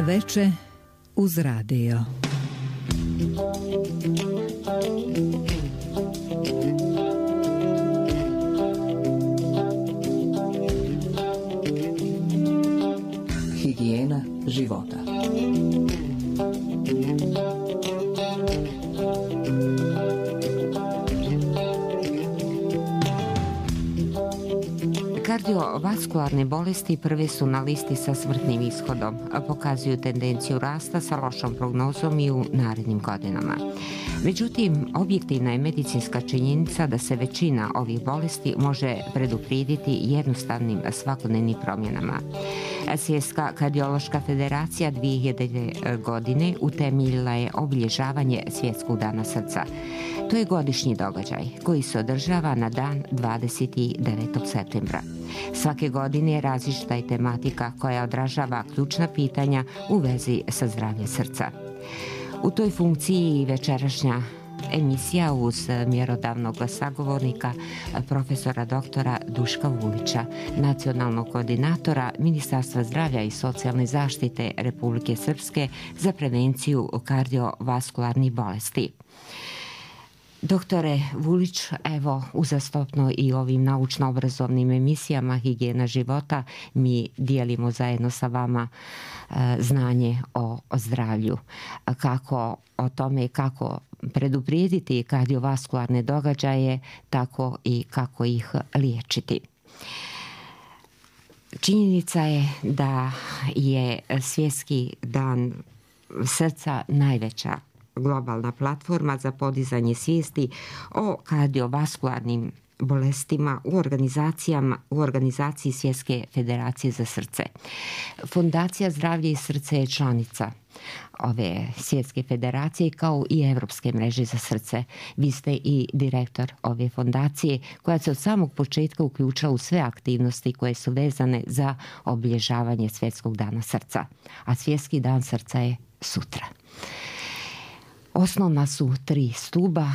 Veče uz radio. Higijena života. Kardiovaskularne bolesti prve su na listi sa smrtnim ishodom, a pokazuju tendenciju rasta sa lošom prognozom i u narednim godinama. Međutim, objektivna je medicinska činjenica da se većina ovih bolesti može preduprijediti jednostavnim svakodnevnim promjenama. Svjetska kardiološka federacija 2000. godine utemeljila je obilježavanje Svjetskog dana srca. To je godišnji događaj koji se održava na dan 29. septembra. Svake godine različita je tematika koja odražava ključna pitanja u vezi sa zdravljem srca. U toj funkciji i večerašnja emisija uz mjerodavnog sagovornika profesora doktora Duška Vulića, nacionalnog koordinatora Ministarstva zdravlja i socijalne zaštite Republike Srpske za prevenciju kardiovaskularnih bolesti. Doktore Vulić, evo uzastopno i ovim naučno-obrazovnim emisijama Higijena života mi dijelimo zajedno sa vama znanje o zdravlju. Kako o tome kako preduprijediti kardiovaskularne događaje, tako i kako ih liječiti. Činjenica je da je Svjetski dan srca najveća globalna platforma za podizanje svijesti o kardiovaskularnim bolestima u organizaciji Svjetske federacije za srce. Fondacija Zdravlje i srce je članica ove Svjetske federacije kao i Evropske mreže za srce. Vi ste i direktor ove fondacije koja se od samog početka uključila u sve aktivnosti koje su vezane za obilježavanje Svjetskog dana srca. A Svjetski dan srca je sutra. Osnovna su 3 stuba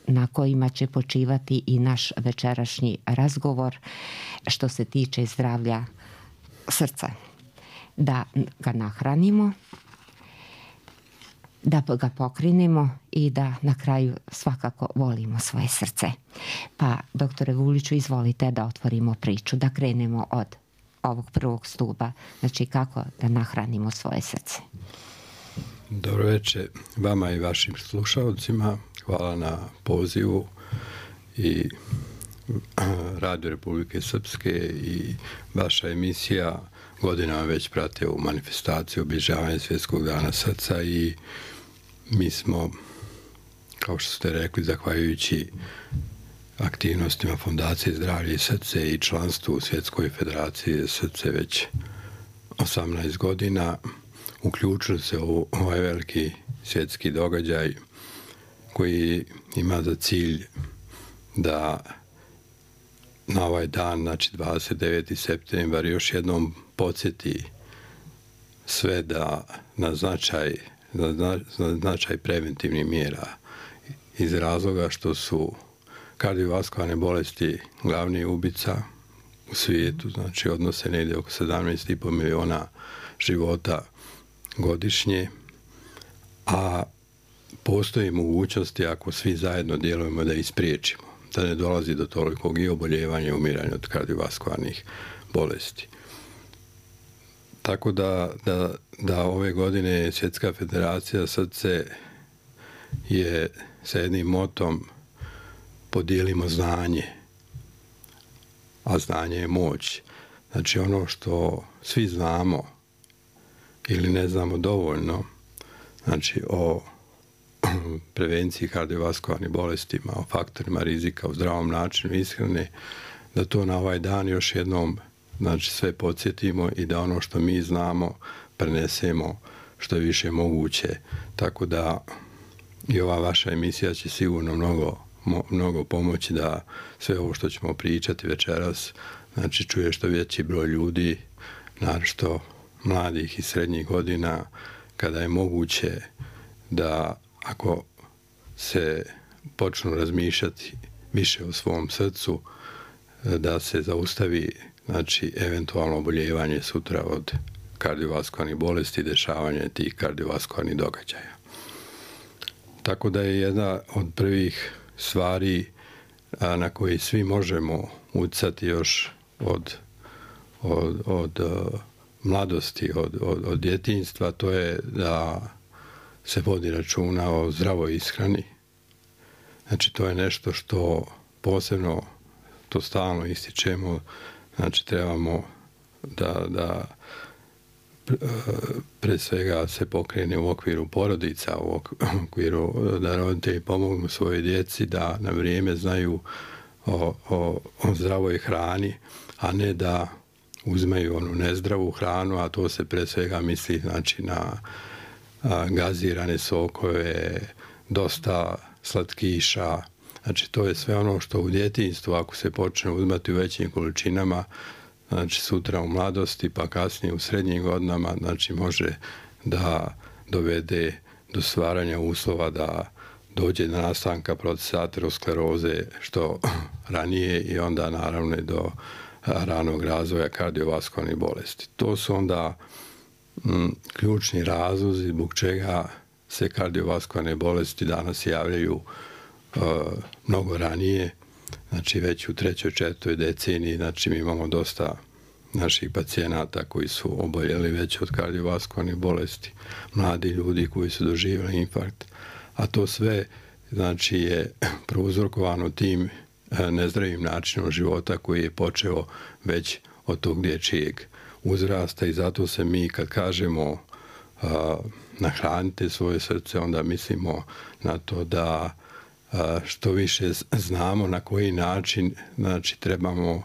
na kojima će počivati i naš večerašnji razgovor što se tiče zdravlja srca. Da ga nahranimo, da ga pokrinemo i da na kraju svakako volimo svoje srce. Pa, doktore Vuliću, izvolite da otvorimo priču, da krenemo od ovog prvog stuba, znači kako da nahranimo svoje srce. Dobro večer vama i vašim slušalcima. Hvala na pozivu i Radio Republike Srpske i vaša emisija godinama već prate u manifestaciju obilježavanja Svjetskog dana srca i mi smo, kao što ste rekli, zahvaljujući aktivnostima Fondacije Zdravlje i srce i članstvu u Svjetskoj federaciji za srce već 18 godina uključili se u ovaj veliki svjetski događaj koji ima za cilj da na ovaj dan, znači 29. septembar, još jednom podsjeti sve da na značaj preventivnih mjera iz razloga što su kardiovaskularne bolesti glavni ubica u svijetu, znači odnose negdje oko 17,5 miliona života godišnje, a postoji mogućnosti ako svi zajedno djelujemo da ispriječimo, da ne dolazi do tolikog i oboljevanja i umiranja od kardiovaskularnih bolesti. Tako da ove godine Svjetska federacija srce je sa jednim motom podijelimo znanje, a znanje je moć. Znači ono što svi znamo ili ne znamo dovoljno, znači o prevenciji kardiovaskularnih bolestima, o faktorima rizika, o zdravom načinu ishrane, da to na ovaj dan još jednom, znači, sve podsjetimo i da ono što mi znamo prenesemo što je više moguće. Tako da i ova vaša emisija će sigurno mnogo pomoći da sve ovo što ćemo pričati večeras, znači, čuje što veći broj ljudi, naročito mladih i srednjih godina, kada je moguće da ako se počnu razmišljati više o svom srcu, da se zaustavi, znači, eventualno oboljevanje sutra od kardiovaskularnih bolesti i dešavanje tih kardiovaskularnih događaja. Tako da je jedna od prvih stvari na koji svi možemo utjecati još od mladosti, od djetinjstva, to je da se vodi računa o zdravoj ishrani. Znači, to je nešto što posebno, to stalno ističemo, znači trebamo da pre svega se pokrene u okviru porodica, u okviru da roditelji pomognu svojoj djeci da na vrijeme znaju o zdravoj hrani, a ne da uzmeju onu nezdravu hranu, a to se pre svega misli znači na gazirane sokove, dosta slatkiša. Znači to je sve ono što u djetinjstvu, ako se počne uzmati u većim količinama, znači sutra u mladosti pa kasnije u srednjim godinama, znači može da dovede do stvaranja uslova da dođe do nastanka procesa ateroskleroze što ranije i onda naravno do ranog razvoja kardiovaskularnih bolesti. To su onda ključni razlozi zbog čega se kardiovaskularne bolesti danas javljaju mnogo ranije, znači već u 3. 4. deceniji, znači mi imamo dosta naših pacijenata koji su oboljeli već od kardiovaskularnih bolesti, mladi ljudi koji su doživjeli infarkt, a to sve znači je prouzrokovano tim nezdravim načinom života koji je počeo već od tog dječjeg uzrasta i zato se mi kad kažemo nahranite svoje srce, onda mislimo na to da što više znamo na koji način znači trebamo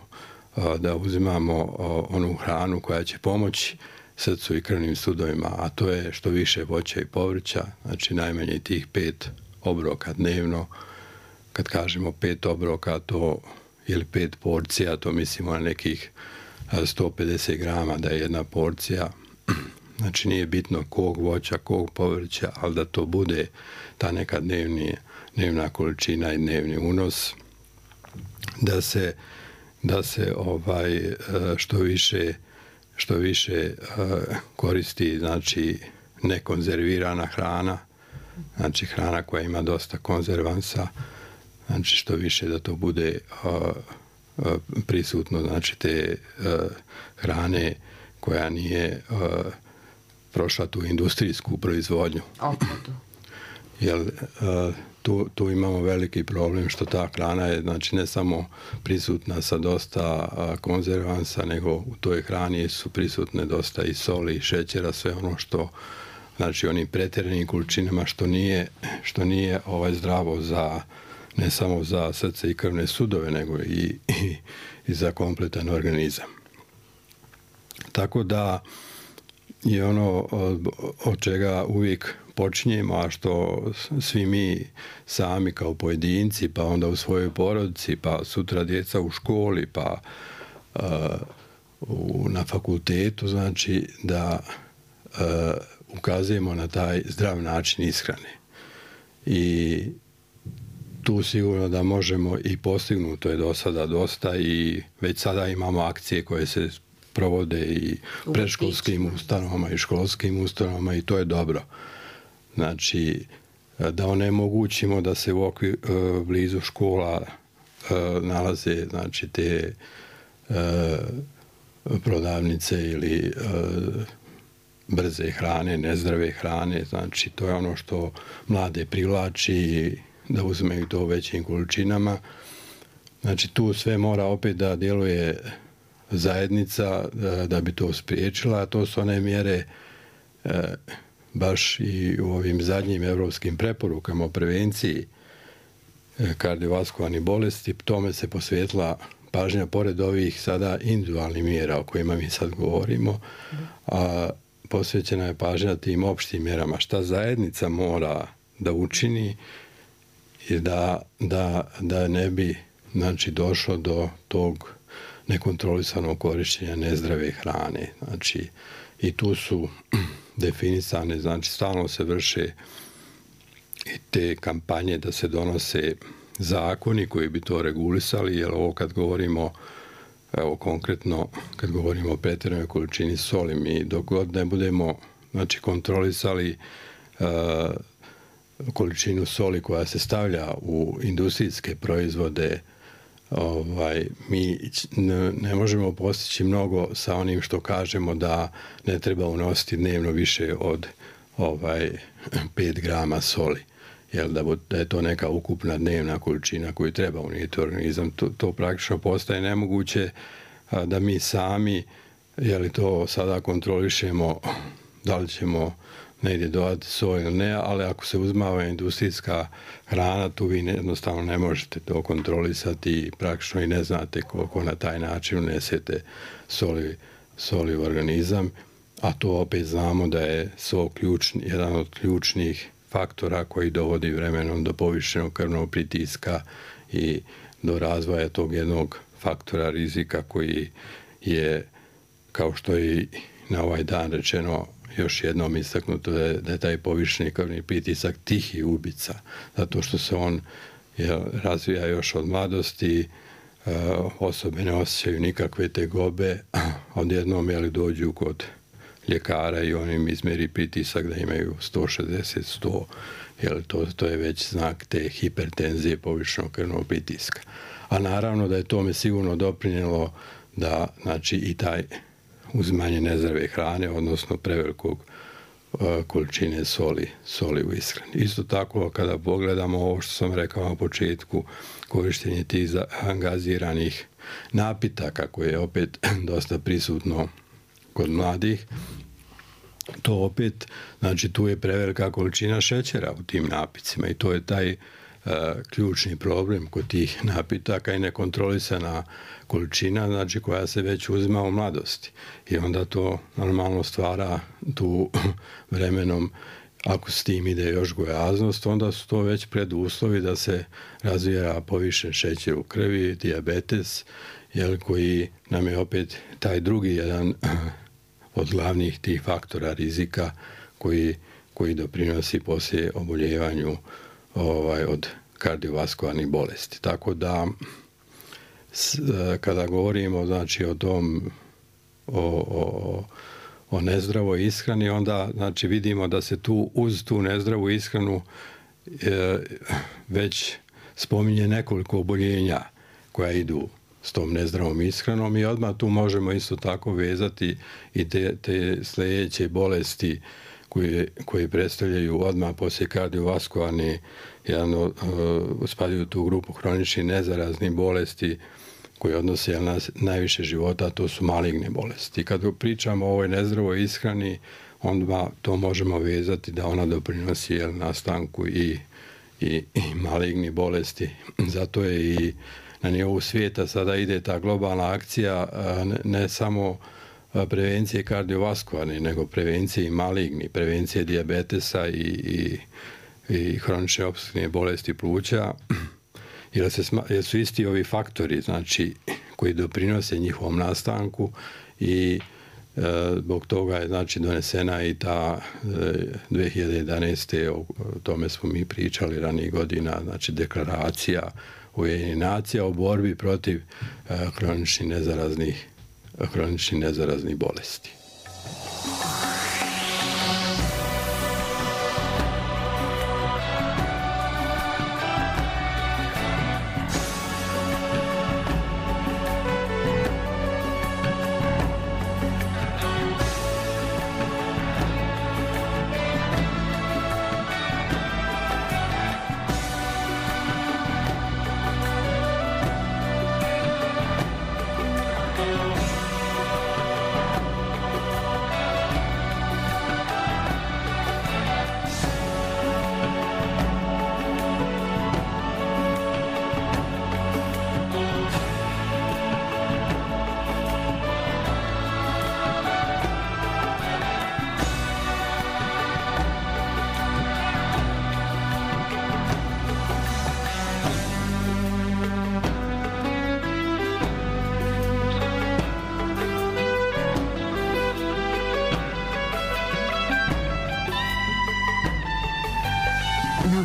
da uzimamo onu hranu koja će pomoći srcu i krvnim sudovima, a to je što više voća i povrća, znači najmanje tih 5 obroka dnevno. Kad kažemo 5 obroka to ili 5 porcija, to mislimo na nekih 150 grama da je jedna porcija. Znači nije bitno kog voća, kog povrća, ali da to bude ta neka dnevna količina i dnevni unos, da se što više koristi znači nekonzervirana hrana, znači hrana koja ima dosta konzervansa, znači što više da to bude prisutno, znači te hrane koja nije prošla tu industrijsku proizvodnju. Jer tu imamo veliki problem što ta hrana je znači ne samo prisutna sa dosta konzervansa, nego u toj hrani su prisutne dosta i soli i šećera, sve ono što znači onim pretjeranim količinama što nije zdravo za ne samo za srce i krvne sudove, nego i za kompletan organizam. Tako da je ono od čega uvijek počinjemo, a što svi mi sami kao pojedinci, pa onda u svojoj porodici, pa sutra djeca u školi, pa na fakultetu, znači da ukazujemo na taj zdrav način ishrane. I tu sigurno da možemo i postignuti, to je do sada dosta i već sada imamo akcije koje se provode i predškolskim ustanovama i školskim ustanovama i to je dobro. Znači, da onemogućimo da se u okviru blizu škola nalaze znači te prodavnice ili brze hrane, nezdrave hrane, znači to je ono što mlade privlači da uzmeju to u većim količinama. Znači tu sve mora opet da djeluje zajednica da bi to spriječila, a to su one mjere baš i u ovim zadnjim europskim preporukama o prevenciji kardiovaskularnih bolesti, tome se posvetila pažnja pored ovih sada individualnih mjera o kojima mi sad govorimo, a posvećena je pažnja tim opštim mjerama. Šta zajednica mora da učini i da ne bi znači, došlo do tog nekontrolisanog korištenja nezdrave hrane. Znači, i tu su definisane, znači stalno se vrše i te kampanje da se donose zakoni koji bi to regulisali, jer ovo kad govorimo evo konkretno kad govorimo o pretjeranoj količini soli, mi dok god ne budemo kontrolisali količinu soli koja se stavlja u industrijske proizvode, mi ne možemo postići mnogo sa onim što kažemo da ne treba unositi dnevno više od 5 grama soli. Da je to neka ukupna dnevna količina koju treba unijeti u organizam. To praktično postaje nemoguće da mi sami to sada kontrolišemo da li ćemo negdje dodati soj ili ne, ali ako se uzmava industrijska hrana, tu vi jednostavno ne možete to kontrolisati i praktično i ne znate koliko na taj način unesete soli u organizam, a to opet znamo da je sol jedan od ključnih faktora koji dovodi vremenom do povišenog krvnog pritiska i do razvoja tog jednog faktora rizika koji je, kao što je na ovaj dan rečeno, još jednom istaknuto da je taj povišeni krvni pritisak tihi ubica, zato što se on razvija još od mladosti, osobe ne osjećaju nikakve tegobe, odjednom dođu kod ljekara i on im izmeri pritisak da imaju 160, 100, to je već znak te hipertenzije, povišenog krvnog pritiska. A naravno da je tome sigurno doprinijelo da i taj uzimanje nezdrave hrane, odnosno prevelikog količine soli u ishrani. Isto tako, kada pogledamo ovo što sam rekao na početku, korištenje tih gaziranih napitaka koje je opet dosta prisutno kod mladih, to opet, tu je prevelika količina šećera u tim napicima i to je taj ključni problem kod tih napitaka i nekontrolisana količina, koja se već uzima u mladosti. I onda to normalno stvara tu vremenom, ako s tim ide još gojaznost, onda su to već preduslovi da se razvija povišen šećer u krvi, dijabetes, koji nam je opet taj drugi jedan od glavnih tih faktora rizika koji doprinosi poslije oboljevanju od kardiovaskularnih bolesti. Tako da kada govorimo o tom o nezdravoj ishrani, onda vidimo da se tu uz tu nezdravu ishranu već spominje nekoliko oboljenja koja idu s tom nezdravom ishranom i odmah tu možemo isto tako vezati i te sljedeće bolesti koje predstavljaju odmah poslije kardiovaskularne, spadaju u tu grupu hroničnih nezaraznih bolesti koje odnose na najviše života, to su maligne bolesti. Kad pričamo o ovoj nezdravoj ishrani, onda to možemo vezati da ona doprinosi nastanku i malignih bolesti. Zato je i na nivou svijeta sada ide ta globalna akcija ne samo prevencije kardiovaskularne, nego prevencije i maligni, prevencije dijabetesa i hronične opstruktivne bolesti pluća, jer su isti ovi faktori koji doprinose njihovom nastanku i zbog toga je donesena i ta 2011. o tome smo mi pričali ranijih godina, deklaracija Ujedinjenih nacija o borbi protiv hroničnih nezaraznih bolesti.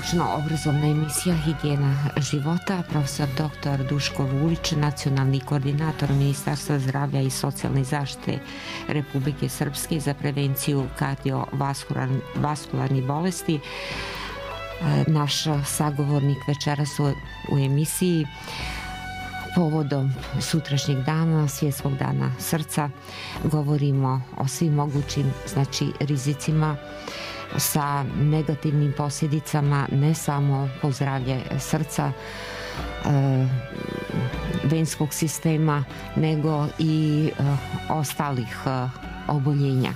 Naučno-obrazovna emisija Higijena života. Profesor dr. Duško Vulić, nacionalni koordinator Ministarstva zdravlja i socijalne zaštite Republike Srpske za prevenciju kardiovaskularnih bolesti. Naš sagovornik večeras u emisiji povodom sutrašnjeg dana, Svjetskog dana srca. Govorimo o svim mogućim rizicima sa negativnim posljedicama ne samo po zdravlje srca, venskog sistema, nego i ostalih oboljenja.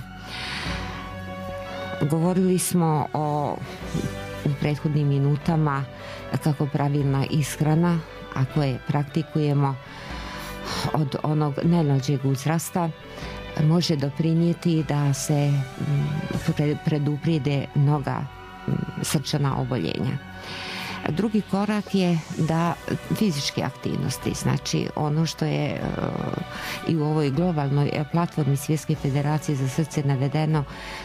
Govorili smo u prethodnim minutama kako pravilna ishrana, ako je praktikujemo od onog najmlađeg uzrasta, može doprinijeti da se preduprijede mnoga srčana oboljenja. Drugi korak je da fizičke aktivnosti, znači ono što je i u ovoj globalnoj platformi Svjetske federacije za srce navedeno,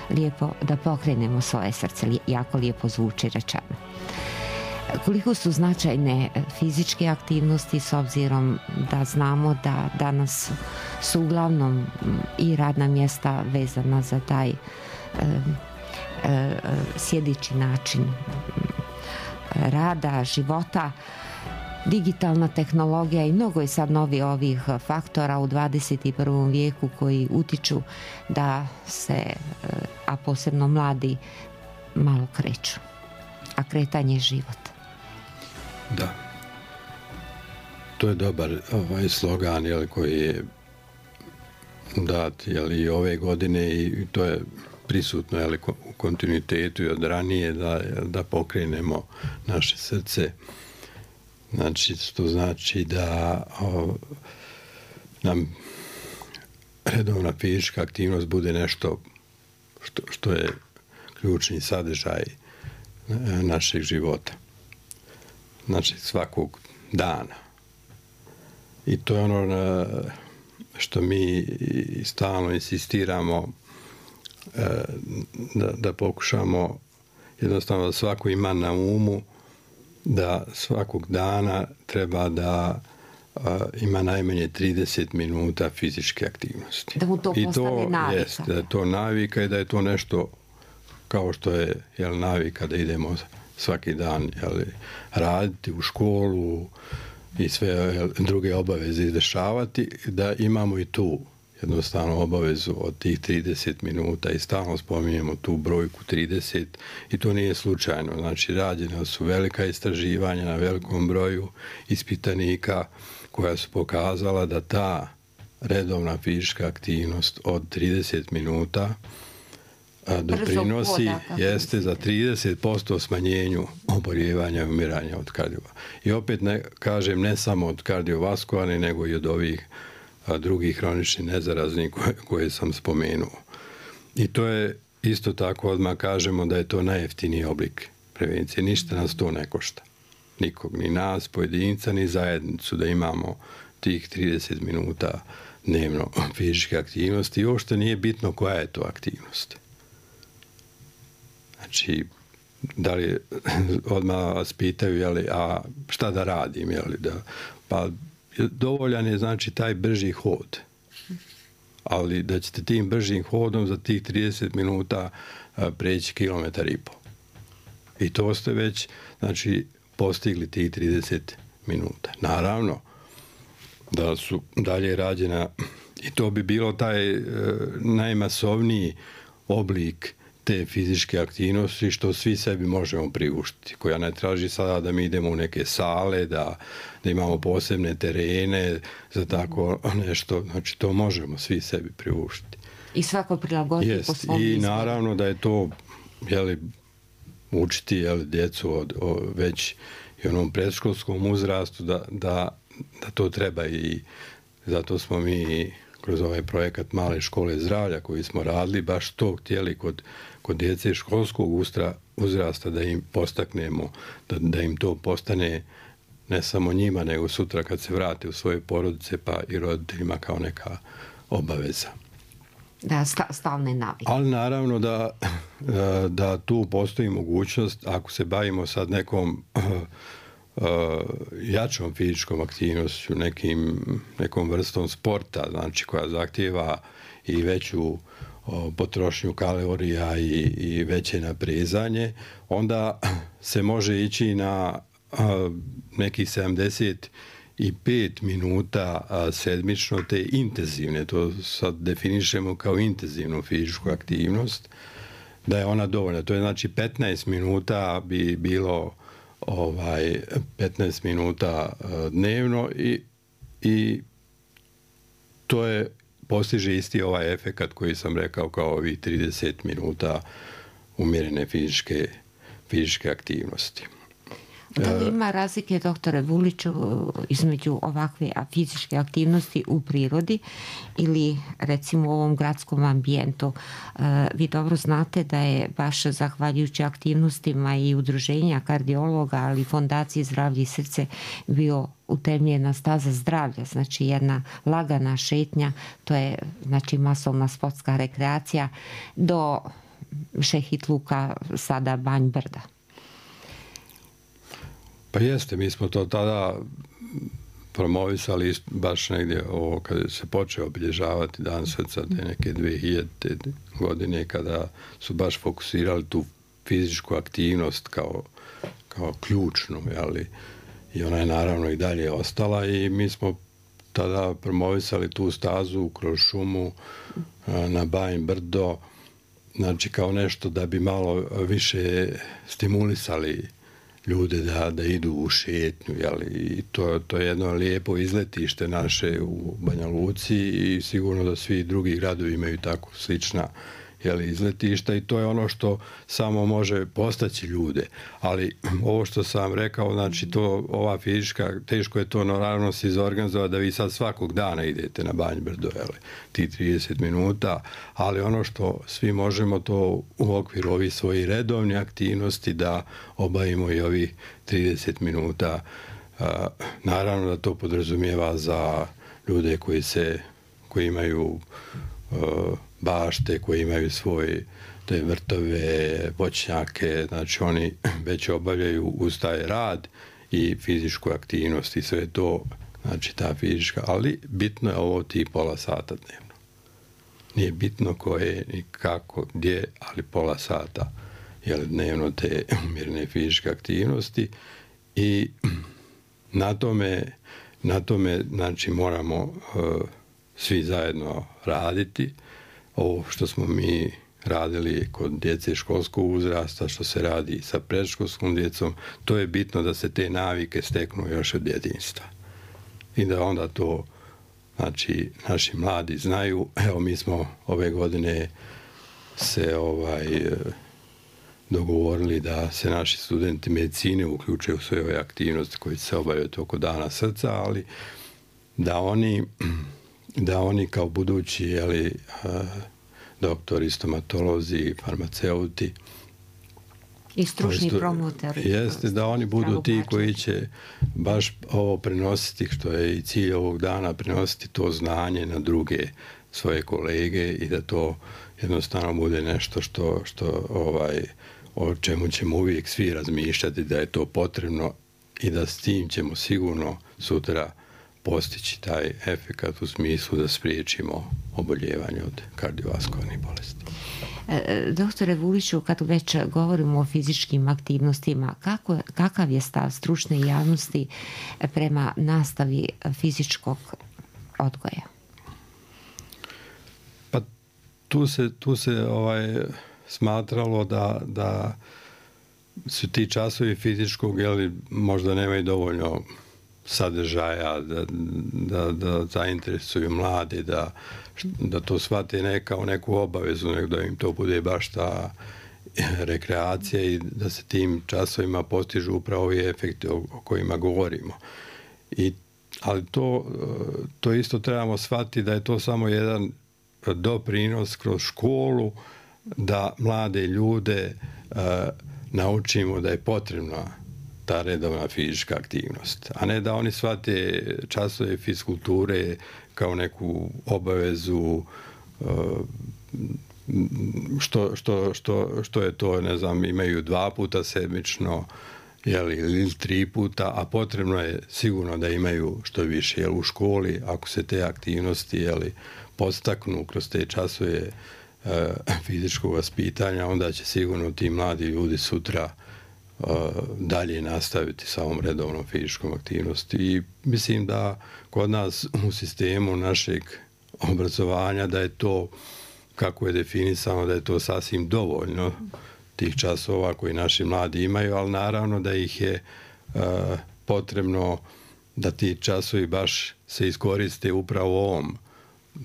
lijepo da pokrenemo svoje srce, jako lijepo zvuči rečeno. Koliko su značajne fizičke aktivnosti s obzirom da znamo da danas su uglavnom i radna mjesta vezana za taj sjedeći način rada, života, digitalna tehnologija i mnogo je sad novi ovih faktora u 21. vijeku koji utiču da se, a posebno mladi, malo kreću. A kretanje je život. Da. To je dobar slogan koji je dat i ove godine i to je prisutno u kontinuitetu i od ranije da pokrenemo naše srce. Znači, to znači da nam redovna fizička aktivnost bude nešto što je ključni sadržaj našeg života. Znači, svakog dana. I to je ono što mi stalno insistiramo da pokušamo jednostavno da svako ima na umu da svakog dana treba da ima najmanje 30 minuta fizičke aktivnosti. Da mu to postane navika. Jest, da je to navika i da je to nešto kao što je navika da idemo svaki dan raditi u školu i sve druge obaveze izdešavati, da imamo i tu jednostavno obavezu od tih 30 minuta i stalno spominjemo tu brojku 30 i to nije slučajno. Znači, rađena su velika istraživanja na velikom broju ispitanika koja su pokazala da ta redovna fizička aktivnost od 30 minuta doprinosi jeste za 30% smanjenju oboljevanja i umiranja od kardiovaskularnih. I opet kažem ne samo od kardiovaskularnih, nego i od ovih drugih hroničnih nezaraznih koje sam spomenuo. I to je isto tako, odmah kažemo da je to najjeftiniji oblik prevencije. Ništa nas to ne košta. Nikog, ni nas, pojedinca, ni zajednicu da imamo tih 30 minuta dnevno fizičke aktivnosti. I uopšte nije bitno koja je to aktivnost. Znači, da li odmah vas pitaju, a šta da radim, pa dovoljan je znači taj brži hod. Ali da ćete tim bržim hodom za tih 30 minuta preći 1,5 km. I to ste već znači postigli tih 30 minuta. Naravno da su dalje rađena i to bi bilo taj najmasovniji oblik te fizičke aktivnosti što svi sebi možemo priuštiti, koja ne traži sada da mi idemo u neke sale, da imamo posebne terene za tako nešto, znači to možemo svi sebi priuštiti. I svako prilagoditi po svom izboru. I naravno da je to učiti djecu već i onom predškolskom uzrastu da to treba i zato smo mi kroz ovaj projekat Male škole zdravlja koji smo radili, baš to htjeli kod djece školskog uzrasta da im postaknemo, da im to postane ne samo njima, nego sutra kad se vrate u svoje porodice, pa i roditeljima kao neka obaveza. Da, stalne navike. Ali naravno da tu postoji mogućnost, ako se bavimo sad nekom jačom fizičkom aktivnošću, nekom vrstom sporta, znači koja zahtijeva i veću potrošnju kalorija i veće naprezanje, onda se može ići na nekih 75 minuta sedmično te intenzivne, to sad definišemo kao intenzivnu fizičku aktivnost, da je ona dovoljna. To je znači 15 minuta bi bilo 15 minuta dnevno i to je postiže isti ovaj efekat koji sam rekao kao ovih 30 minuta umjerene fizičke aktivnosti. Da li ima razlike, doktore Vuliću, između ovakve fizičke aktivnosti u prirodi ili recimo u ovom gradskom ambijentu? Vi dobro znate da je baš zahvaljujući aktivnostima i udruženja kardiologa, ali i Fondacije Zdravlje i srce bio utemeljena staza zdravlja, znači jedna lagana šetnja, to je znači masovna sportska rekreacija do Šehitluka, sada Banj Brda. Pa jeste, mi smo to tada promovisali baš negdje kada se počeo obilježavati Dan srca, te neke 2000. godine, kada su baš fokusirali tu fizičku aktivnost kao ključnu, jeli? I ona je naravno i dalje ostala i mi smo tada promovisali tu stazu kroz šumu na Banj Brdo, znači kao nešto da bi malo više stimulisali ljude da idu u šetnju, jeli? I to je jedno lijepo izletište naše u Banja Luci i sigurno da svi drugi gradovi imaju tako slična izletišta i to je ono što samo može postaći ljude. Ali ovo što sam rekao, znači ova fizička, teško je to naravno se izorganizovati da vi sad svakog dana idete na Banj Brdo, ti 30 minuta, ali ono što svi možemo to u okviru ovih svojih redovnih aktivnosti da obavimo i ovih 30 minuta. Naravno da to podrazumijeva za ljude koji imaju bašte, koji imaju svoje te vrtove, voćnjake, znači oni već obavljaju uz taj rad i fizičku aktivnost i sve to, znači ta fizička, ali bitno je ovo ti pola sata dnevno. Nije bitno koje ni kako, gdje, ali pola sata dnevno te umjerene fizičke aktivnosti i na tome znači moramo svi zajedno raditi. Ovo što smo mi radili kod djece školskog uzrasta, što se radi sa predškolskom djecom, to je bitno da se te navike steknu još od djetinjstva. I da onda to, znači, naši mladi znaju. Evo, mi smo ove godine se dogovorili da se naši studenti medicine uključe u sve ove aktivnosti koje se obavljaju oko Dana srca, ali da oni kao budući doktori, stomatolozi, farmaceuti i stručni promotori, jeste da oni budu ti koji će baš ovo prenositi, što je i cilj ovog dana, prenositi to znanje na druge svoje kolege i da to jednostavno bude nešto o čemu ćemo uvijek svi razmišljati, da je to potrebno i da s tim ćemo sigurno sutra postići taj efekat u smislu da spriječimo oboljevanje od kardiovaskularnih bolesti. Doktore Vuliću, kad već govorimo o fizičkim aktivnostima, kakav je stav stručne javnosti prema nastavi fizičkog odgoja? Pa tu se smatralo da su ti časovi fizičkog možda nemaju dovoljno sadržaja, da zainteresuju mlade, da to shvate ne kao neku obavezu, nego da im to bude baš ta rekreacija i da se tim časovima postižu upravo ovi efekti o kojima govorimo. Ali to isto trebamo shvatiti da je to samo jedan doprinos kroz školu, da mlade ljude naučimo da je potrebna ta redovna fizička aktivnost, a ne da oni shvate časove fizkulture kao neku obavezu što je to, ne znam, imaju 2 puta sedmično, ili 3 puta, a potrebno je sigurno da imaju što više. U školi, ako se te aktivnosti podstaknu kroz te časove fizičkog vaspitanja, onda će sigurno ti mladi ljudi sutra dalje nastaviti sa ovom redovnom fizičkom aktivnosti. I mislim da kod nas u sistemu našeg obrazovanja da je to, kako je definisano, da je to sasvim dovoljno tih časova koji naši mladi imaju, ali naravno da ih je potrebno da ti časovi baš se iskoriste upravo u ovom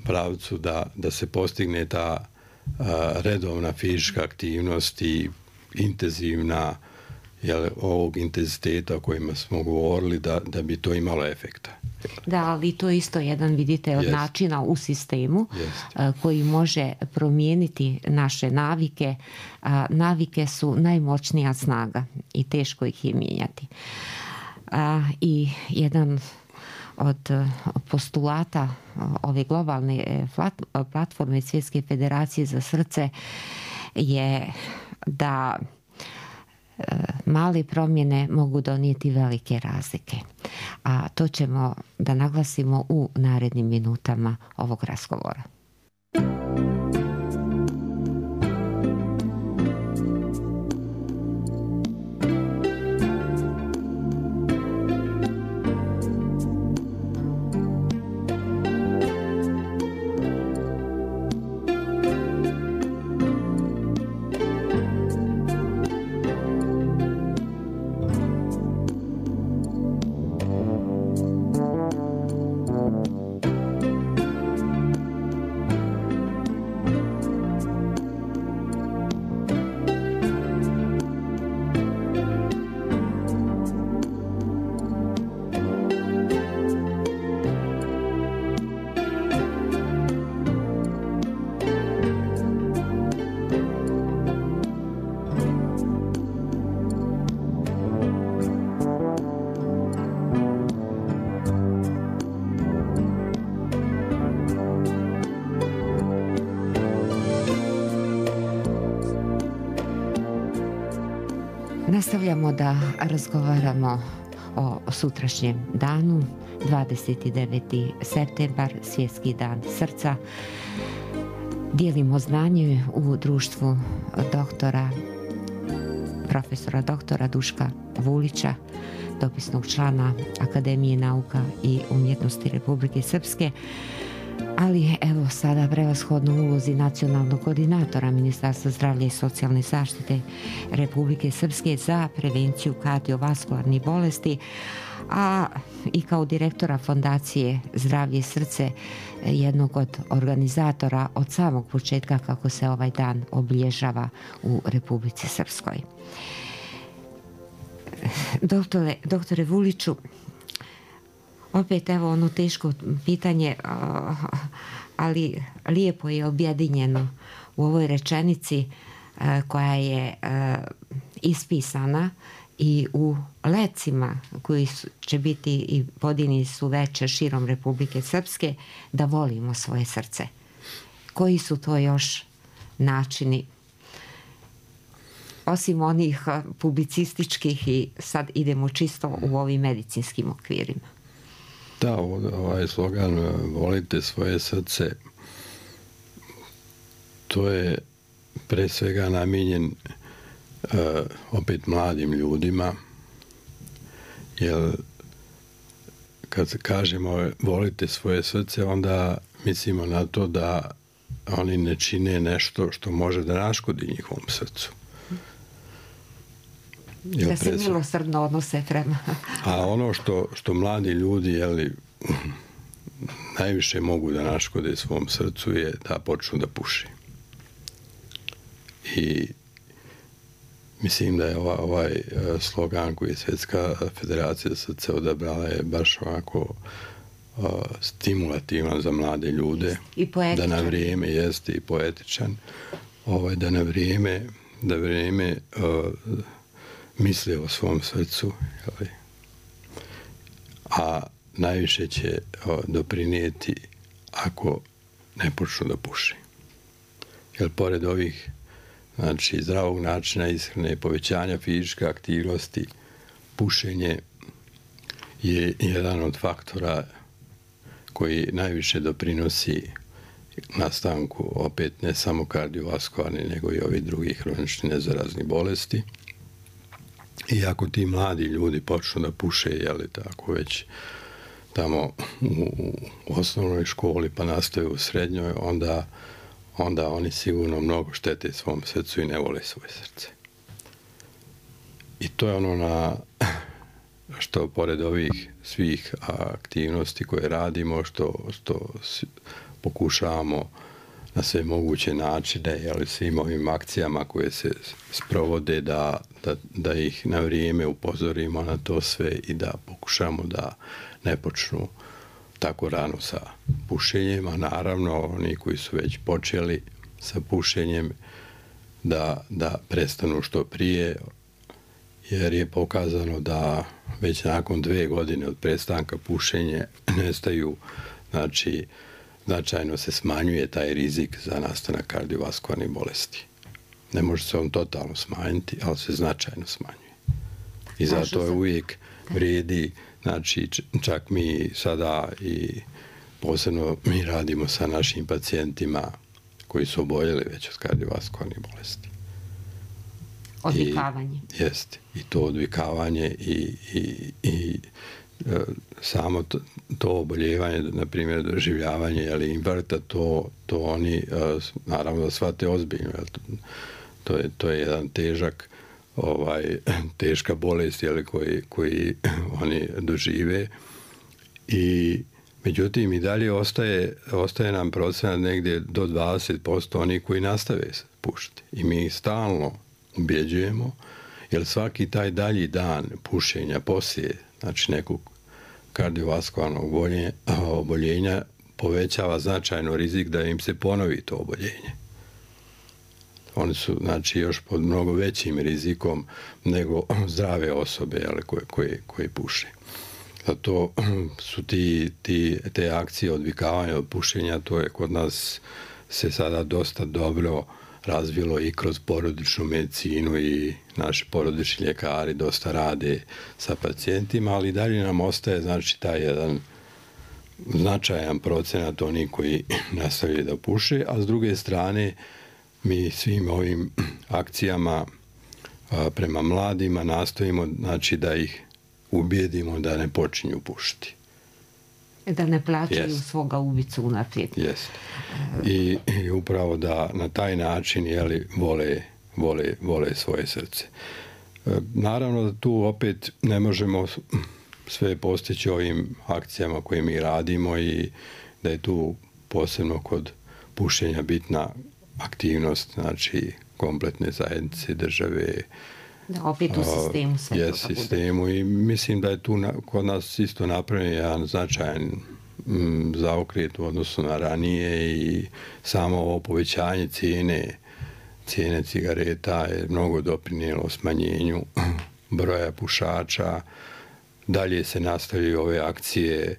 pravcu, da se postigne ta redovna fizička aktivnost i intenzivna, ovog intenziteta o kojima smo govorili, da bi to imalo efekta. Da, ali to je isto jedan, vidite, od načina u sistemu koji može promijeniti naše navike. Navike su najmoćnija snaga i teško ih je mijenjati. I jedan od postulata ove globalne platforme Svjetske federacije za srce je da male promjene mogu donijeti velike razlike. A to ćemo da naglasimo u narednim minutama ovog razgovora. Nastavljamo da razgovaramo o sutrašnjem danu, 29. septembar, Svjetski dan srca. Dijelimo znanje u društvu profesora doktora Duška Vulića, dopisnog člana Akademije nauka i umjetnosti Republike Srpske, ali evo sada prevashodno ulozi nacionalnog koordinatora Ministarstva zdravlja i socijalne zaštite Republike Srpske za prevenciju kardiovaskularnih bolesti, a i kao direktora Fondacije Zdravlje i srce, jednog od organizatora od samog početka kako se ovaj dan obilježava u Republici Srpskoj. Doktore Vuliću, opet evo ono teško pitanje, ali lijepo je objedinjeno u ovoj rečenici koja je ispisana i u lecima koji će biti i podijeljeni su večer širom Republike Srpske, da volimo svoje srce. Koji su to još načini, osim onih publicističkih, i sad idemo čisto u ovim medicinskim okvirima? Da, ovaj slogan volite svoje srce, to je pre svega namijenjen opet mladim ljudima, jer kad kažemo volite svoje srce, onda mislimo na to da oni ne čine nešto što može da naškodi njihovom srcu. Da se milosrdno odnose prema. A ono što mladi ljudi najviše mogu da naškode svom srcu je da počnu da puši. I mislim da je ovaj slogan koji je Svjetska federacija srca odabrala je baš ovako stimulativan za mlade ljude. I poetičan. Da na vrijeme jeste i poetičan. Da na vrijeme misle o svom srcu, a najviše će doprinijeti ako ne počnu da puši. jer pored ovih znači zdravog načina ishrane, povećanja fizičke aktivnosti, pušenje je jedan od faktora koji najviše doprinosi nastanku, opet ne samo kardiovaskularni, nego i ovih drugih hronični nezaraznih bolesti. I ako ti mladi ljudi počnu da puše, jeli tako, već tamo u osnovnoj školi pa nastaju u srednjoj, onda oni sigurno mnogo štete svom srcu i ne vole svoje srce. I to je ono na što pored ovih svih aktivnosti koje radimo, što pokušavamo na sve moguće načine, ali svim ovim akcijama koje se sprovode da ih na vrijeme upozorimo na to sve i da pokušamo da ne počnu tako rano sa pušenjem, a naravno oni koji su već počeli sa pušenjem da prestanu što prije, jer je pokazano da već nakon 2 godine od prestanka pušenja nestaju, znači značajno se smanjuje taj rizik za nastanak kardiovaskularnih bolesti. Ne može se on totalno smanjiti, ali se značajno smanjuje. I zato je uvijek vrijedi, znači čak mi sada i posebno mi radimo sa našim pacijentima koji su oboljeli već od kardiovaskularnih bolesti. Odvikavanje. Jeste. I to odvikavanje i samo to oboljevanje, na primjer doživljavanje ili infarkta, to oni naravno da shvate ozbiljno. To je jedan teška bolest koji oni dožive. I međutim i dalje ostaje nam procenat negdje do 20% oni koji nastave pušiti. I mi stalno ubjeđujemo, jer svaki taj dalji dan pušenja poslije, znači nekog kardiovaskularnog oboljenja, povećava značajno rizik da im se ponovi to oboljenje. Oni su znači još pod mnogo većim rizikom nego zdrave osobe koje puše. Zato su te akcije odvikavanja od pušenja, to je kod nas se sada dosta dobro razvilo i kroz porodičnu medicinu i naši porodični ljekari dosta rade sa pacijentima, ali dalje nam ostaje znači taj jedan značajan procenat onih koji nastavljaju da puše, a s druge strane mi svim ovim akcijama prema mladima nastojimo znači da ih ubijedimo da ne počinju pušiti. Da ne plaćaju svoga ubicu unaprijed. Jeste. I upravo da na taj način vole svoje srce. Naravno da tu opet ne možemo sve postići ovim akcijama koje mi radimo i da je tu posebno kod pušenja bitna aktivnost, znači kompletne zajednice, države. Da, opet u sistemu sve to da bude. Sistemu i mislim da je tu kod nas isto napravljen jedan značajan zaokret u odnosu na ranije i samo ovo povećanje cijene cigareta je mnogo doprinijelo smanjenju broja pušača. Dalje se nastavljaju ove akcije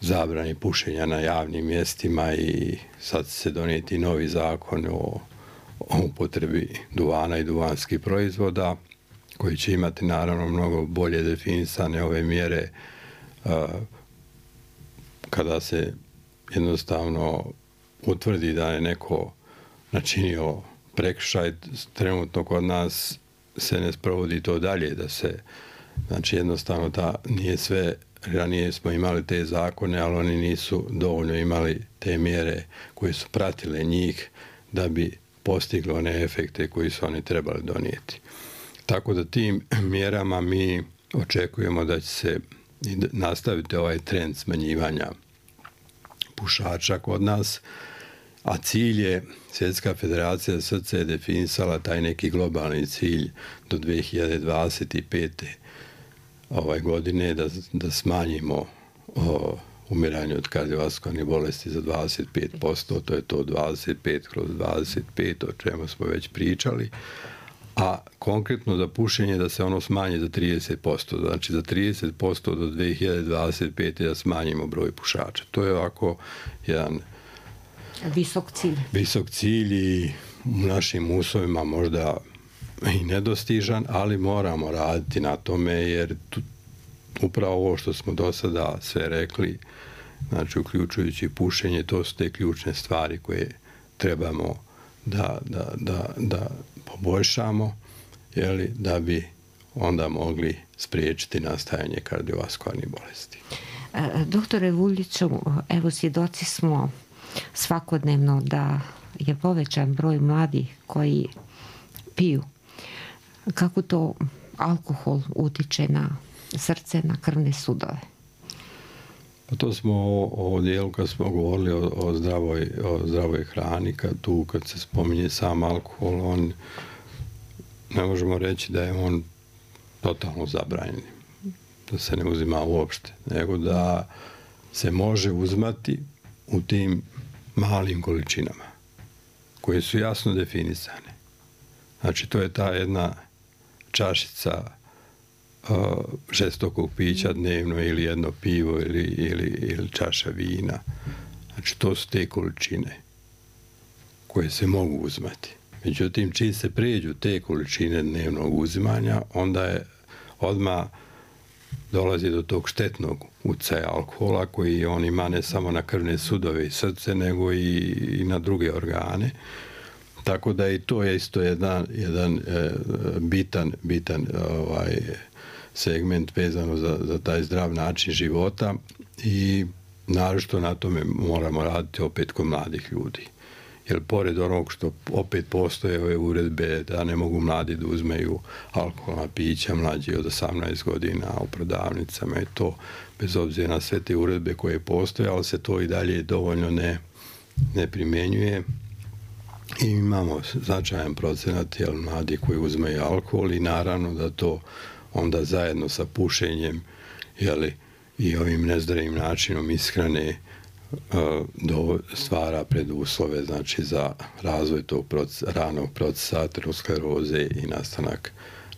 zabrani pušenja na javnim mjestima i sad se donijeti novi zakon o upotrebi duvana i duvanskih proizvoda koji će imati naravno mnogo bolje definisane ove mjere kada se jednostavno utvrdi da je neko načinio prekršaj. Trenutno kod nas se ne sprovodi to dalje, da se znači jednostavno nije sve. Ranije smo imali te zakone, ali oni nisu dovoljno imali te mjere koje su pratile njih da bi postiglo one efekte koji su oni trebali donijeti. Tako da tim mjerama mi očekujemo da će se nastaviti ovaj trend smanjivanja pušača kod nas, a cilj je, Svjetska federacija srca je definisala taj neki globalni cilj do 2025. Godine da smanjimo umiranje od kardiovaskularnih bolesti za 25%, to je to 25/25, o čemu smo već pričali, a konkretno za pušenje da se ono smanji za 30%, znači za 30% do 2025. da smanjimo broj pušača. To je ovako jedan Visok cilj i u našim uslovima možda i nedostižan, ali moramo raditi na tome jer upravo ovo što smo do sada sve rekli, znači uključujući pušenje, to su te ključne stvari koje trebamo da poboljšamo, da bi onda mogli spriječiti nastajanje kardiovaskularnih bolesti. Doktore Vuljiću, evo svjedoci smo svakodnevno da je povećan broj mladih koji piju. Kako to alkohol utiče na srce, na krvne sudove? Pa to smo o dijelu kad smo govorili o zdravoj hrani, kad se spominje sam alkohol, on ne možemo reći da je on totalno zabranjen, da se ne uzima uopšte, nego da se može uzmati u tim malim količinama koje su jasno definisane. Znači to je ta jedna čašica žestokog pića dnevno ili jedno pivo ili čaša vina. Znači to su te količine koje se mogu uzmati. Međutim, čim se prijeđu te količine dnevnog uzimanja, onda je odmah dolazi do tog štetnog utjecaja alkohola koji on ima ne samo na krvne sudove i srce, nego i na druge organe. Tako da i to je isto jedan bitan segment vezano za taj zdrav način života i naročito na tome moramo raditi opet kod mladih ljudi. Jer pored onog što opet postoje ove uredbe da ne mogu mladi da uzmeju alkoholna pića mlađi od 18 godina u prodavnicama i to bez obzira na sve te uredbe koje postoje, ali se to i dalje dovoljno ne primjenjuje. I imamo značajan procenat mladi koji uzmeju alkohol i naravno da to onda zajedno sa pušenjem i ovim nezdravim načinom ishrane stvara preduslove znači za razvoj tog ranog procesa ateroskleroze i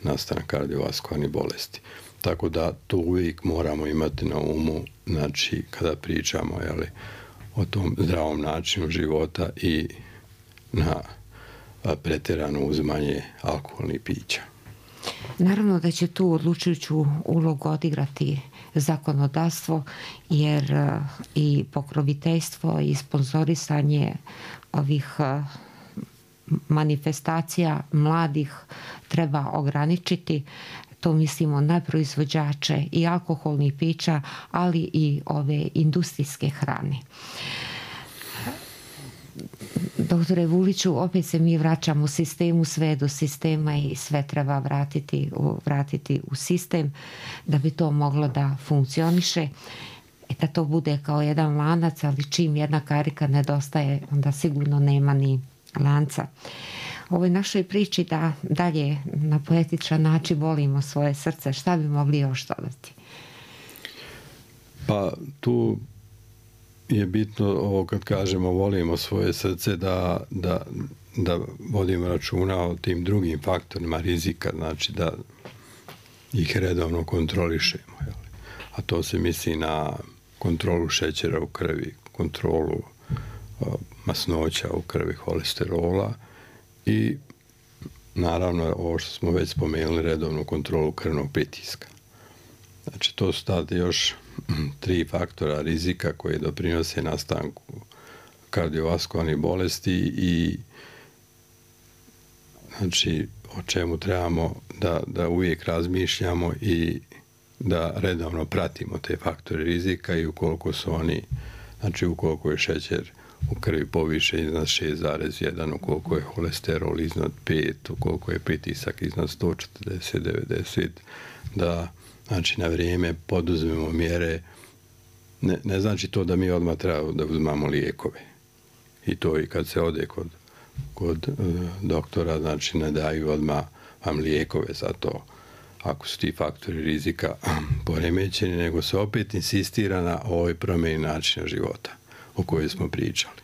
nastanak kardiovaskularnih bolesti. Tako da to uvijek moramo imati na umu, znači kada pričamo o tom zdravom načinu života i na pretjerano uzimanje alkoholnih pića. Naravno da će tu odlučujuću ulogu odigrati zakonodavstvo, jer i pokroviteljstvo i sponzorisanje ovih manifestacija mladih treba ograničiti. To mislimo na proizvođače i alkoholnih pića, ali i ove industrijske hrane. Doktore Vuliću, opet se mi vraćamo sistemu, sve do sistema i sve treba vratiti u sistem da bi to moglo da funkcioniše, da to bude kao jedan lanac, ali čim jedna karika nedostaje, onda sigurno nema ni lanca. U ovoj našoj priči da dalje na poetičan način volimo svoje srce, šta bi mogli još dodati? Pa tu je bitno ovo kad kažemo volimo svoje srce da vodimo računa o tim drugim faktorima rizika, znači da ih redovno kontrolišemo. A to se misli na kontrolu šećera u krvi, kontrolu masnoća u krvi, holesterola i naravno ovo što smo već spomenuli, redovnu kontrolu krvnog pritiska. Znači to su tada još 3 faktora rizika koji doprinose nastanku kardiovaskularnih bolesti i znači o čemu trebamo da uvijek razmišljamo i da redovno pratimo te faktore rizika i ukoliko su oni, znači ukoliko je šećer u krvi poviše iznad 6,1, ukoliko je holesterol iznad 5, ukoliko je pritisak iznad 140-90, da znači na vrijeme poduzmemo mjere. Ne znači to da mi odmah treba da uzmamo lijekove. I to i kad se ode kod doktora, znači ne daju odmah vam lijekove za to ako su ti faktori rizika poremećeni, nego se opet insistira na ovoj promjeni načina života o kojoj smo pričali.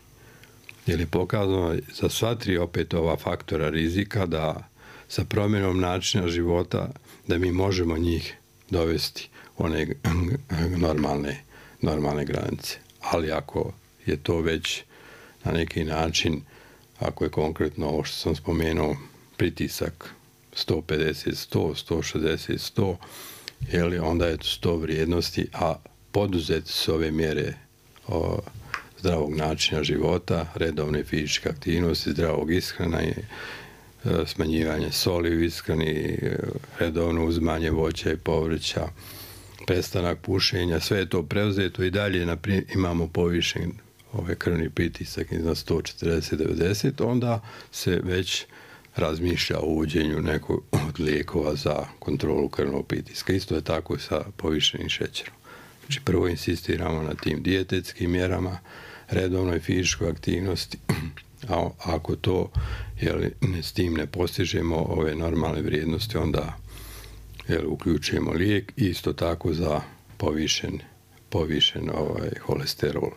Jer je pokazano za sva 3 opet ova faktora rizika da sa promjenom načina života da mi možemo njih dovesti u one normalne granice. Ali ako je to već na neki način, ako je konkretno ovo što sam spomenuo, pritisak 150, 100, 160, onda je to 100 vrijednosti, a poduzeti su ove mjere zdravog načina života, redovne fizičke aktivnosti, zdravog ishrana i smanjivanje soli u ishrani, redovno uzimanje voća i povrća, prestanak pušenja, sve je to preuzeto i dalje imamo povišen krvni pritisak iznad 140-90, onda se već razmišlja o uvođenju nekog od lijekova za kontrolu krvnog pritiska. Isto je tako sa povišenim šećerom. Znači prvo insistiramo na tim dijetetskim mjerama, redovnoj fizičkoj aktivnosti, a ako to s tim ne postižemo ove normalne vrijednosti, onda uključujemo lijek, isto tako za povišen holesterol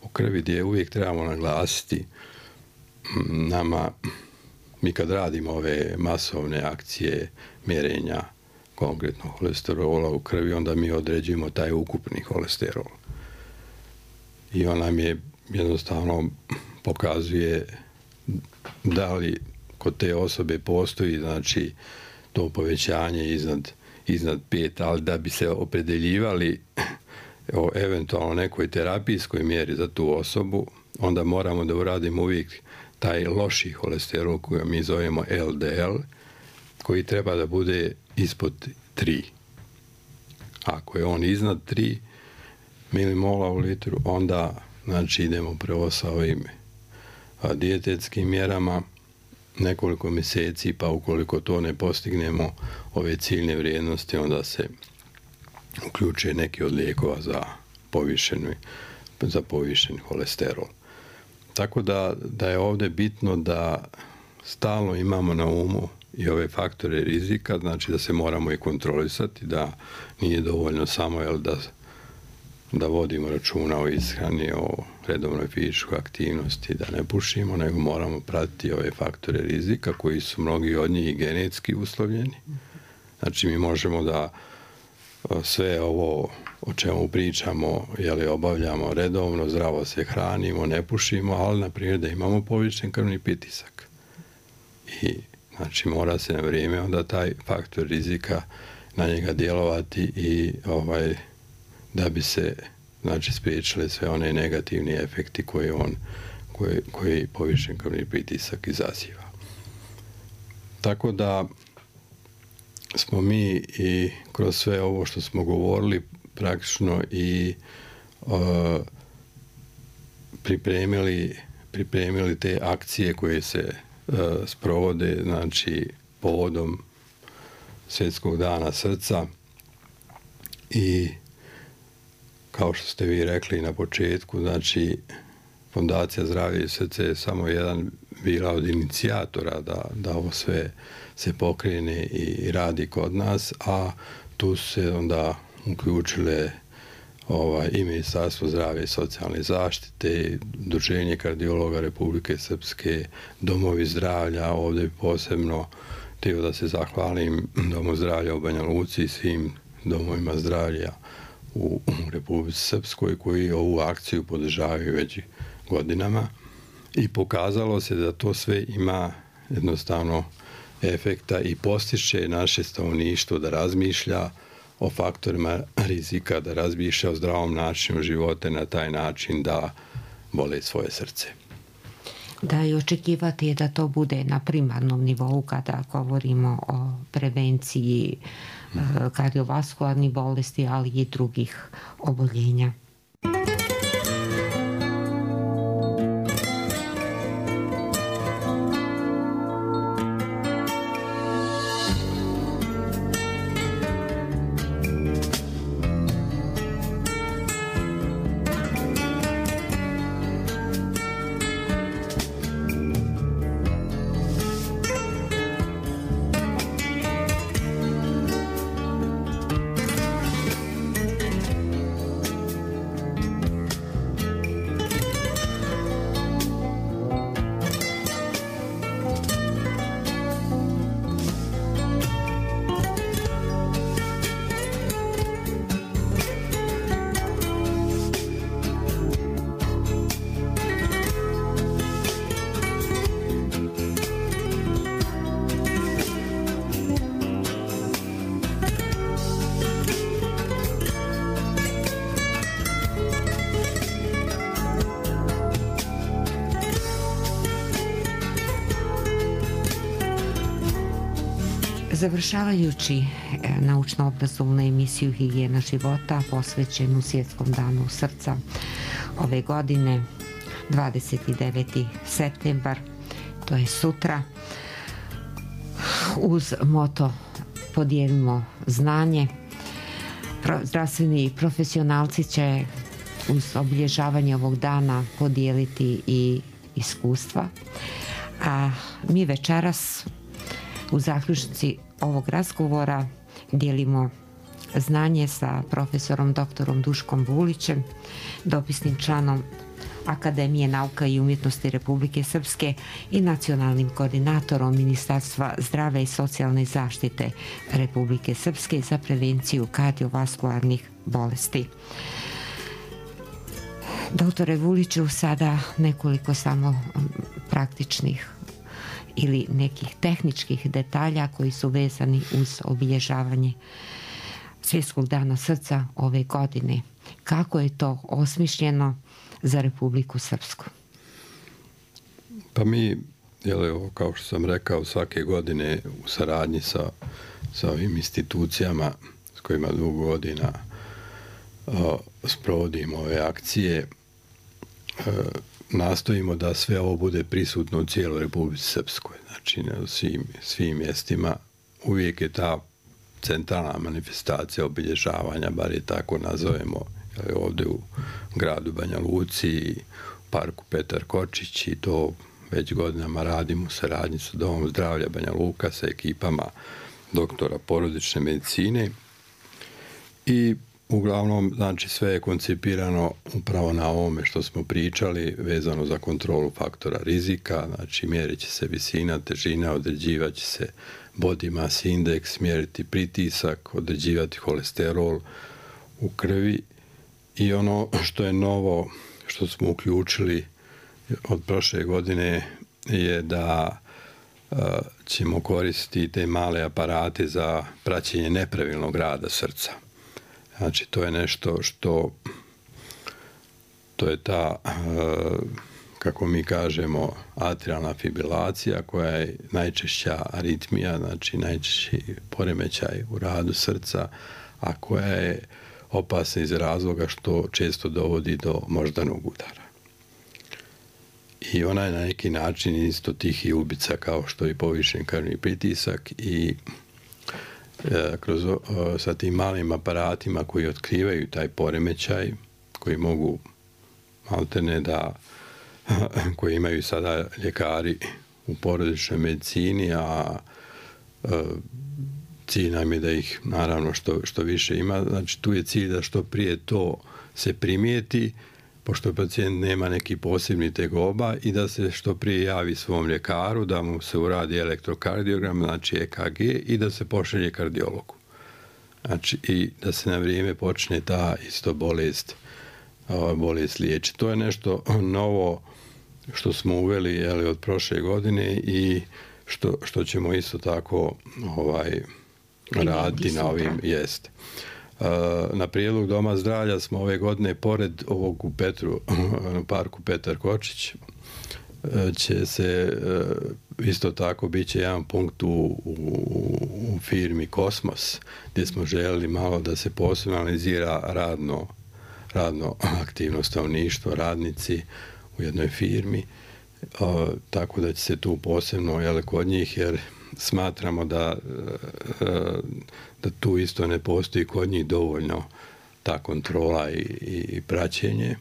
u krvi, gdje uvijek trebamo naglasiti mi kad radimo ove masovne akcije mjerenja konkretno holesterola u krvi, onda mi određujemo taj ukupni holesterol. I on nam je jednostavno pokazuje da li kod te osobe postoji, znači, to povećanje iznad 5, ali da bi se opredeljivali o eventualno nekoj terapijskoj mjeri za tu osobu, onda moramo da uradimo uvijek taj loši holesterol koji mi zovemo LDL, koji treba da bude ispod 3. Ako je on iznad 3 milimola u litru, onda znači idemo prvo sa ovim dijetetskim mjerama nekoliko mjeseci, pa ukoliko to ne postignemo ove ciljne vrijednosti, onda se uključuje neki od lijekova za povišen holesterol. Tako da je ovdje bitno da stalno imamo na umu i ove faktore rizika, znači da se moramo i kontrolisati, da nije dovoljno samo da vodimo računa o ishrani, o redovnoj fizičkoj aktivnosti, da ne pušimo, nego moramo pratiti ove faktore rizika koji su mnogi od njih genetski uslovljeni. Znači mi možemo da sve ovo o čemu pričamo, obavljamo redovno, zdravo se hranimo, ne pušimo, ali na primjer da imamo povišen krvni pritisak. I znači mora se na vrijeme onda taj faktor rizika na njega djelovati i da bi se znači spriječile sve one negativni efekti koji povišen krvni pritisak izaziva. Tako da smo mi i kroz sve ovo što smo govorili praktično i pripremili te akcije koje se sprovode, znači povodom Svjetskog dana srca, i kao što ste vi rekli na početku, znači Fondacija Zdravlje i srce je samo jedan bila od inicijatora da ovo sve se pokrene i radi kod nas, a tu se onda uključile i Ministarstvo zdravlja i socijalne zaštite, Udruženje kardiologa Republike Srpske, domovi zdravlja. Ovdje bi posebno htio da se zahvalim Domu zdravlja u Banja Luci i svim domovima zdravlja u Republici Srpskoj koji ovu akciju podržavaju već godinama, i pokazalo se da to sve ima jednostavno efekta i postiže naše stanovništvo da razmišlja o faktorima rizika, da razmišlja o zdravom načinu života na taj način da vole svoje srce. Da, i očekivati je da to bude na primarnom nivou kada govorimo o prevenciji kardiovaskularnih bolesti, ali i drugih oboljenja. Završavajući naučno-obrazovnu emisiju Higijena života posvećenu Svjetskom danu srca ove godine, 29. septembar, to je sutra, uz moto podijelimo znanje, zdravstveni profesionalci će uz obilježavanje ovog dana podijeliti i iskustva, a mi večeras u zaključnici ovog razgovora dijelimo znanje sa profesorom doktorom Duškom Vulićem, dopisnim članom Akademije nauka i umjetnosti Republike Srpske i nacionalnim koordinatorom Ministarstva zdravlja i socijalne zaštite Republike Srpske za prevenciju kardiovaskularnih bolesti. Doktore Vuliću, sada nekoliko samo praktičnih ili nekih tehničkih detalja koji su vezani uz obilježavanje Svjetskog dana srca ove godine. Kako je to osmišljeno za Republiku Srpsku? Pa mi, kao što sam rekao, svake godine u saradnji sa ovim institucijama s kojima dugo godina sprovodimo ove akcije, nastojimo da sve ovo bude prisutno u cijeloj Republici Srpskoj. Znači, na svim mjestima uvijek je ta centralna manifestacija obilježavanja, bar je tako nazovemo, ovdje u gradu Banja Luci, u parku Petar Kočić, i to već godinama radimo u saradnji sa Domom zdravlja Banja Luka, sa ekipama doktora porodične medicine, i uglavnom, znači, sve je koncipirano upravo na ovome što smo pričali vezano za kontrolu faktora rizika. Znači, mjerit će se visina, težina, određivat će se body mass index, mjeriti pritisak, određivati holesterol u krvi. I ono što je novo, što smo uključili od prošle godine, je da ćemo koristiti te male aparate za praćenje nepravilnog rada srca. Znači, to je nešto što, to je ta, kako mi kažemo, atrialna fibrilacija, koja je najčešća aritmija, znači najčešći poremećaj u radu srca, a koja je opasna iz razloga što često dovodi do moždanog udara. I ona je na neki način isto tihi ubica kao što je povišen krvni pritisak, i sa tim malim aparatima koji otkrivaju taj poremećaj, koji mogu maltene koji imaju sada ljekari u porodičnoj medicini, a cilj nam je da ih naravno što više ima. Znači, tu je cilj da što prije to se primijeti, pošto pacijent nema neki posebni tegoba, i da se što prije javi svom ljekaru, da mu se uradi elektrokardiogram, znači EKG, i da se pošalje kardiologu. Znači, i da se na vrijeme počne ta isto bolest liječiti. To je nešto novo što smo uveli od prošle godine i što ćemo isto tako raditi na ovim jest. Na prijedlog Doma zdravlja smo ove godine, pored ovog u parku Petar Kočić, će se isto tako bit će jedan punkt u firmi Kosmos, gdje smo željeli malo da se posebno analizira radno aktivno stanovništvo, radnici u jednoj firmi, tako da će se tu posebno kod njih, jer smatramo da tu isto ne postoji kod njih dovoljno ta kontrola i praćenje.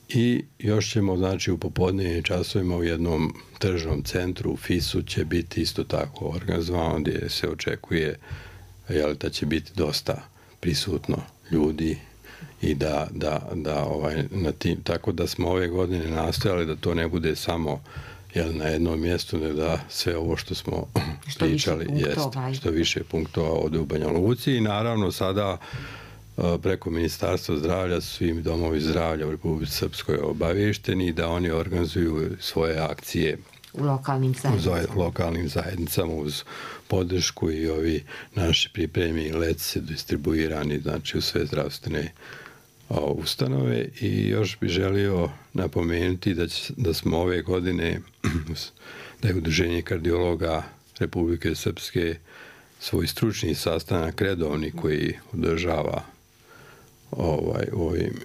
I još ćemo, znači, u popodnevnim časovima u jednom tržnom centru u FIS-u će biti isto tako organizovano, gdje se očekuje da će biti dosta prisutno ljudi, i na tim, tako da smo ove godine nastojali da to ne bude samo na jednom mjestu, nego da sve ovo što smo pričali što više punktova ode u Banja Luci. I naravno sada preko Ministarstva zdravlja svim domovi zdravlja u Republici Srpskoj obavješteni da oni organizuju svoje akcije u lokalnim zajednicama uz podršku, i ovi naši pripremi leci distribuirani, znači, u sve zdravstvene ustanove. I još bih želio napomenuti da smo ove godine, da je Udruženje kardiologa Republike Srpske svoj stručni sastanak redovni koji održava u ovim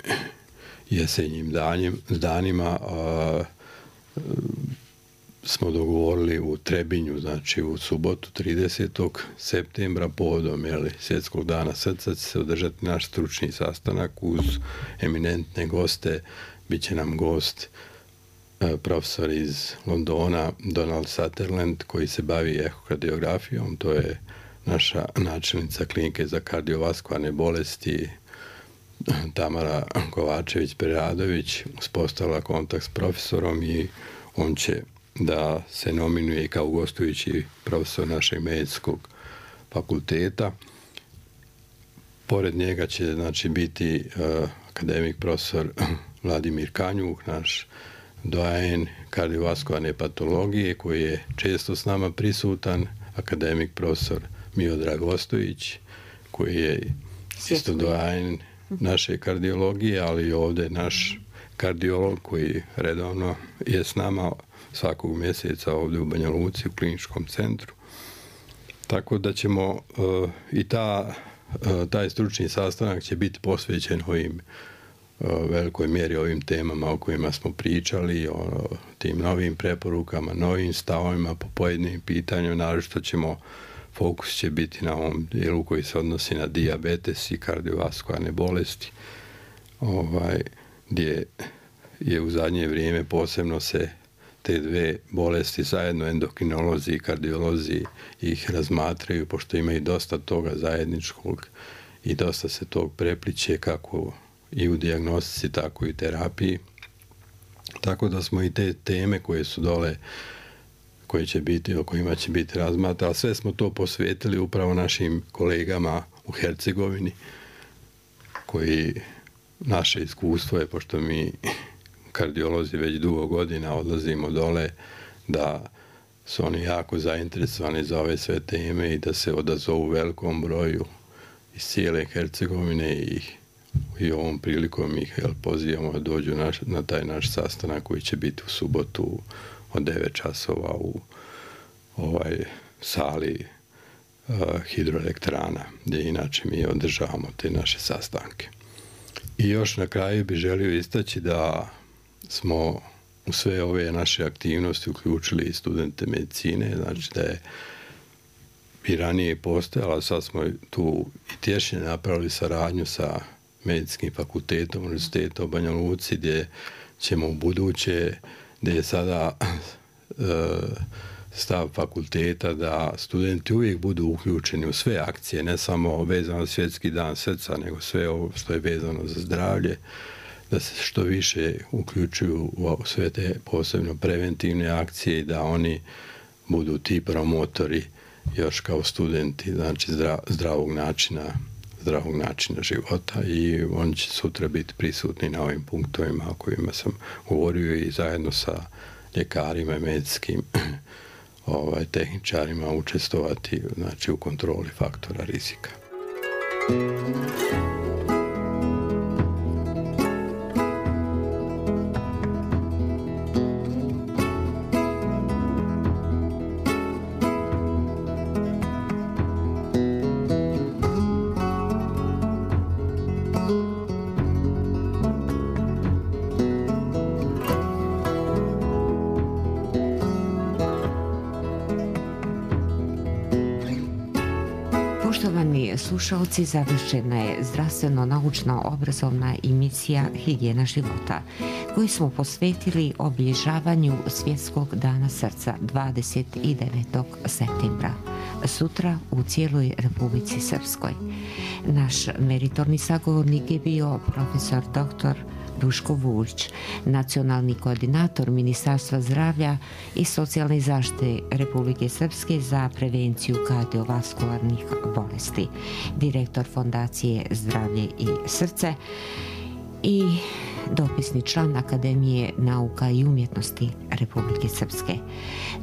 jesenjim danima smo dogovorili u Trebinju, znači u subotu 30. septembra povodom Svjetskog dana srca će se održati naš stručni sastanak uz eminentne goste. Biće nam gost profesor iz Londona Donald Sutherland koji se bavi ehokardiografijom, to je naša načelnica klinike za kardiovaskularne bolesti Tamara Kovačević-Preradović uspostavila kontakt s profesorom i on će da se nominuje kao gostujući profesor našeg medicinskog fakulteta. Pored njega će znači biti akademik profesor Vladimir Kanjuh, naš doajen kardiovaskularne patologije koji je često s nama prisutan, akademik profesor Miodrag Ostojić koji je isto doajen naše kardiologije, ali ovdje naš kardiolog koji redovno je s nama svakog mjeseca ovdje u Banja Luci u kliničkom centru. Tako da ćemo i taj stručni sastanak će biti posvećen ovim velikoj mjeri ovim temama o kojima smo pričali, o tim novim preporukama, novim stavovima po pojedinim pitanjima. Naročito fokus će biti na ovom dijelu koji se odnosi na dijabetes i kardiovaskularne bolesti, gdje je u zadnje vrijeme posebno se te dve bolesti zajedno endokrinolozi i kardiolozi ih razmatraju, pošto ima i dosta toga zajedničkog i dosta se tog prepliče kako i u dijagnostici, tako i terapiji. Tako da smo i te teme koje su dole, o kojima će biti razmatrano, sve smo to posvetili upravo našim kolegama u Hercegovini, koji naše iskustvo je, pošto mi kardiolozi već dugo godina odlazimo dole, da su oni jako zainteresovani za ove sve teme i da se odazovu velikom broju iz cijele Hercegovine i ovom prilikom ih pozivamo da dođu na taj naš sastanak koji će biti u subotu od 9 časova u sali hidroelektrana, gdje inače mi održavamo te naše sastanke. I još na kraju bih želio istaći da smo u sve ove naše aktivnosti uključili i studente medicine, znači da je i ranije postojala, sad smo tu i tješnje napravili saradnju sa Medicinskim fakultetom Univerziteta u Banja Luci, gdje ćemo u buduće, gdje je sada stav fakulteta da studenti uvijek budu uključeni u sve akcije, ne samo vezano za Svjetski dan srca, nego sve ovo što je vezano za zdravlje, da se što više uključuju u sve te posebno preventivne akcije i da oni budu ti promotori još kao studenti, znači zdravog načina života, i oni će sutra biti prisutni na ovim punktovima o kojima sam govorio i zajedno sa ljekarima i medicinskim tehničarima učestvovati, znači, u kontroli faktora rizika. Poštovani slušalci, završena je zdravstveno-naučna obrazovna emisija Higijena života, koju smo posvetili obilježavanju Svjetskog dana srca 29. septembra, sutra u cijeloj Republici Srpskoj. Naš meritorni sagovornik je bio profesor dr. Duško Vulić, nacionalni koordinator Ministarstva zdravlja i socijalne zaštite Republike Srpske za prevenciju kardiovaskularnih bolesti, direktor Fondacije Zdravlje i srce i dopisni član Akademije nauka i umjetnosti Republike Srpske.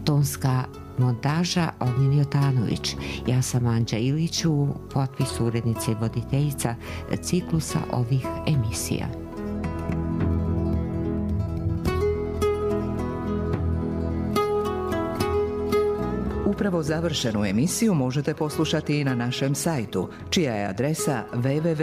Tonska montaža Ognjen Jotanović. Ja sam Anđa Ilić, u potpisu urednice i voditeljica ciklusa ovih emisija. upravo završenu emisiju možete poslušati i na našem sajtu, čija je adresa www.rtrs.tv.